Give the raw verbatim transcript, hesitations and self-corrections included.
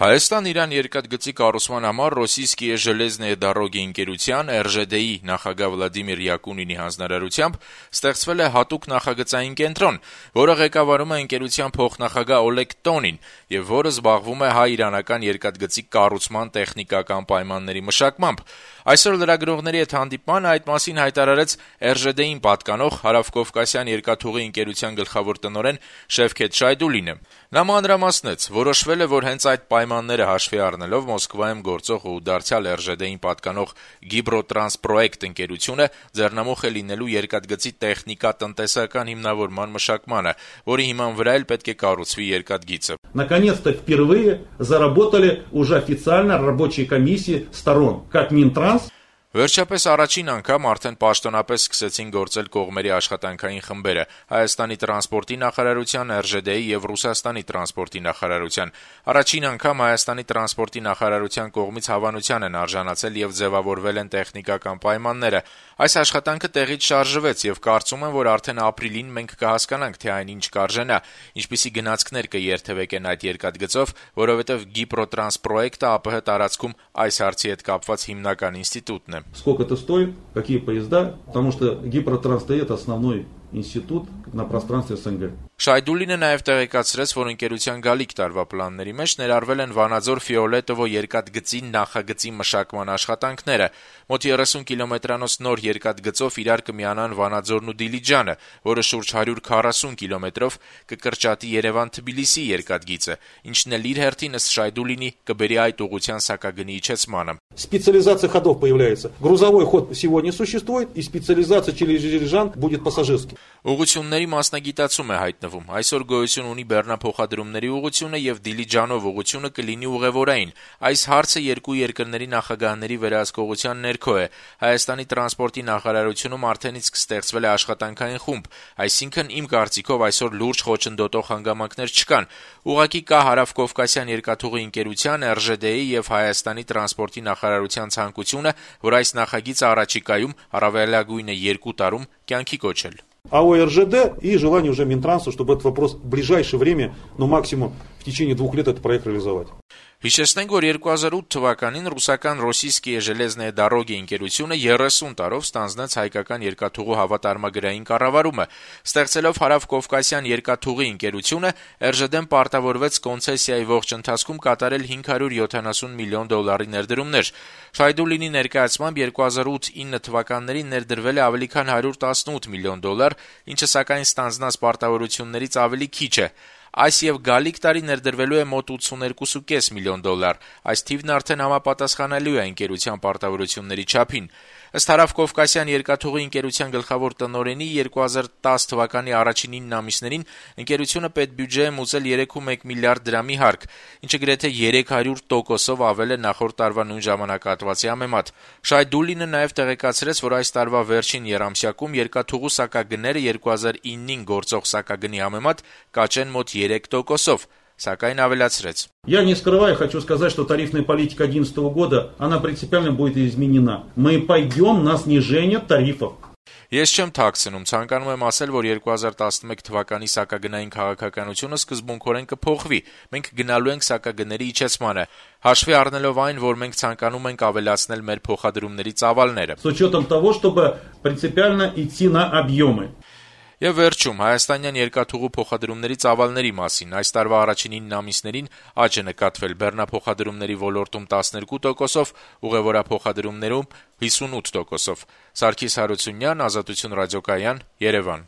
Հայաստան-Իրան երկաթգծի կառուցման համար Ռոսիյսկիե ժելեզնեե դարոգի ընկերության (էր ժե դե-ի) նախագահ Վլադիմիր Յակունինի հանձնարարությամբ ստեղծվել է հատուկ նախագծային կենտրոն, որը ղեկավարում է ընկերության փոխնախագահ Օլեգ Տոնին եւ որը զբաղվում է հայ-իրանական երկաթգծի կառուցման տեխնիկական պայմանների մշակմամբ։ Այսօր լրագրողների հետ հանդիպման այդ մասին հայտարարեց էր ժե դե-ին պատկանող Հարավկովկասյան երկաթուղի ընկերության գլխավոր տնօրեն Շևքեթ Շայդուլինը։ Նա մանրամասնեց, որոշվել է, որ հենց այդ պայմանները հաշվի առնելով Մոսկվայում գործող ու դարձյալ էր ժե դե-ին պատկանող Գիբրոտրանսպրոեկտ ընկերությունը ձեռնամուխ է լինելու երկաթգծի տեխնիկա-տնտեսական հիմնավորման մշակմանը, որի հիման վրա էլ պետք է կառուցվի երկաթգիծը։ Наконец-то впервые заработали уже официально рабочие комиссии сторон, как Минтранс. Վերջապես առաջին անգամ արդեն պաշտոնապես սկսեցին գործել կողմերի աշխատանքային խմբերը Հայաստանի տրանսպորտի նախարարության, էր ժե դե-ի եւ Ռուսաստանի տրանսպորտի նախարարության։ Առաջին անգամ Հայաստանի տրանսպորտի նախարարության կողմից հավանության են արժանացել եւ ձեւավորվել են տեխնիկական պայմանները։ Այս աշխատանքը տեղից շարժվեց եւ կարծում եմ, որ արդեն ապրիլին մենք կհասկանանք, թե այն ինչ կարժենա, ինչպիսի գնացքներ կերթևեկեն այդ երկաթգծով, որովհետեւ Գիբրոտրանսպրոեկտը ԱՊՀ տարածքում այս հարցի հետ կապված հիմնական ինստիտուտն է։ Сколько это стоит, какие поезда, потому что Гипротранс это основной институт на пространстве эс эн гэ. Շայդուլինը նաև տեղեկացրեց, որ ընկերության գալիք տարվա պլանների մեջ ներառվել են Վանաձոր Ֆիոլետովո երկաթգծի նախագծի մշակման աշխատանքները։ Մոտ երեսուն կիլոմետրանոց նոր երկաթգծով իրար կմիանան Վանաձորն ու Դիլիջանը, որը շուրջ հարյուր քառասուն կիլոմետրով կկրճատի Երևան-Թբիլիսի երկաթգիծը, ինչն էլ իր հերթին ըստ Շայդուլինի կբերի այդ ուղղության սակագնի իջեցմանը։ Специализация ходов появляется. Грузовой ход сегодня существует, и специализация через Дилижан будет пассажирский. Ուղղությունների մասնագիտացում է հայտնվում։ Այսօր գոյություն ունի բեռնափոխադրումների ուղղությունը եւ Դիլիջանով ուղղությունը կլինի ուղևորային։ Այս հարցը երկու երկրների նախագահների վերահսկողության ներքո է։ Հայաստանի տրանսպորտի նախարարությունում արդեն իսկ ստեղծվել է աշխատանքային խումբ, այսինքն իմ կարծիքով այսօր լուրջ խոչընդոտող հանգամանքներ չկան։ Ուղղակի կա Հարավկովկասյան երկաթուղի ընկերության, էր ժե դե-ի եւ Հայաստանի տրանսպորտի նախարարության ցանկությունը, որ այս նախագիծը առաջիկայում առավելագույնը երկու տարում կյանքի կոչել։ А у эр жэ дэ и желание уже Минтранса, чтобы этот вопрос в ближайшее время, ну максимум в течение двух лет этот проект реализовать. Հիշեցնենք, որ երկու հազար ութ թվականին ռուսական Ռոսիյսկիե ժելեզնեե դարոգի ընկերությունը երեսուն տարով ստանձնեց հայկական երկաթուղու հավատարմագրային կառավարումը։ Ստեղծելով Հարավկովկասյան երկաթուղի ընկերությունը, էր ժե դե-ն պարտավորվեց կոնցեսիայի ողջ ընթացքում կատարել հինգ հարյուր յոթանասուն միլիոն դոլարի ներդրումներ։ Շայդուլինի ներկայացմամբ երկու հազար ութ ինը թվականներին ներդրվել է ավելի քան հարյուր տասնութ միլիոն դոլար, ինչը սակայն ստանձնած պարտավորություններից ավելի քիչ է։ Այս եւ գալիք տարի ներդրվելու է մոտ ութսուներկու կόμμα պենս միլիոն դոլար։ Այս թիվն արդեն համապատասխանելու է ընկերության պարտավորությունների չափին։ Ըստ Հարավկովկասյան երկաթուղի ընկերության գլխավոր տնօրենի երկու հազար տասը թվականի առաջին ինը ամիսներին ընկերությունը պետբյուջե է մուծել երեք կόμma մեկ միլիարդ դրամի հարկ, ինչը գրեթե երեք հարյուր տոկոսով ավել է նախորդ տարվա նույն ժամանակահատվածի համեմատ։ Շայդուլինը նաև տեղեկացրեց, որ այս տարվա վերջին եռամսյակում երկաթուղու սակագները երկու հազար ինին գործող սակագնի համեմատ կաճեն մոտ երեք տոկոսով, սակայն ավելացրեց. Я не скрываю, хочу сказать, что тарифная политика две тысячи одиннадцатого года, она принципиально будет изменена. Мы пойдем на снижение тарифов. Ես չեմ թաքցնում, ցանկանում եմ ասել, որ երկու հազար տասնմեկ թվականի սակագնային քաղաքականությունը սկզբունքորեն կփոխվի։ Մենք գնալու ենք սակագների իջեցմանը, հաշվի առնելով այն, որ մենք ցանկանում ենք ավելացնել մեր փոխադրումների ծավալները։ С учетом того, чтобы принципиально идти на объемы. Եվ վերջում հայաստանյան երկաթուղու փոխադրումների ծավալների մասին այս տարվա առաջին ինը ամիսներին աճ է նկատվել բեռնափոխադրումների ոլորտում տասներկու տոկոսով, ուղևորափոխադրումներում հիսունութ տոկոսով։ Սարգիս Հարությունյան, Ազատություն ռադիոկայան, Երևան։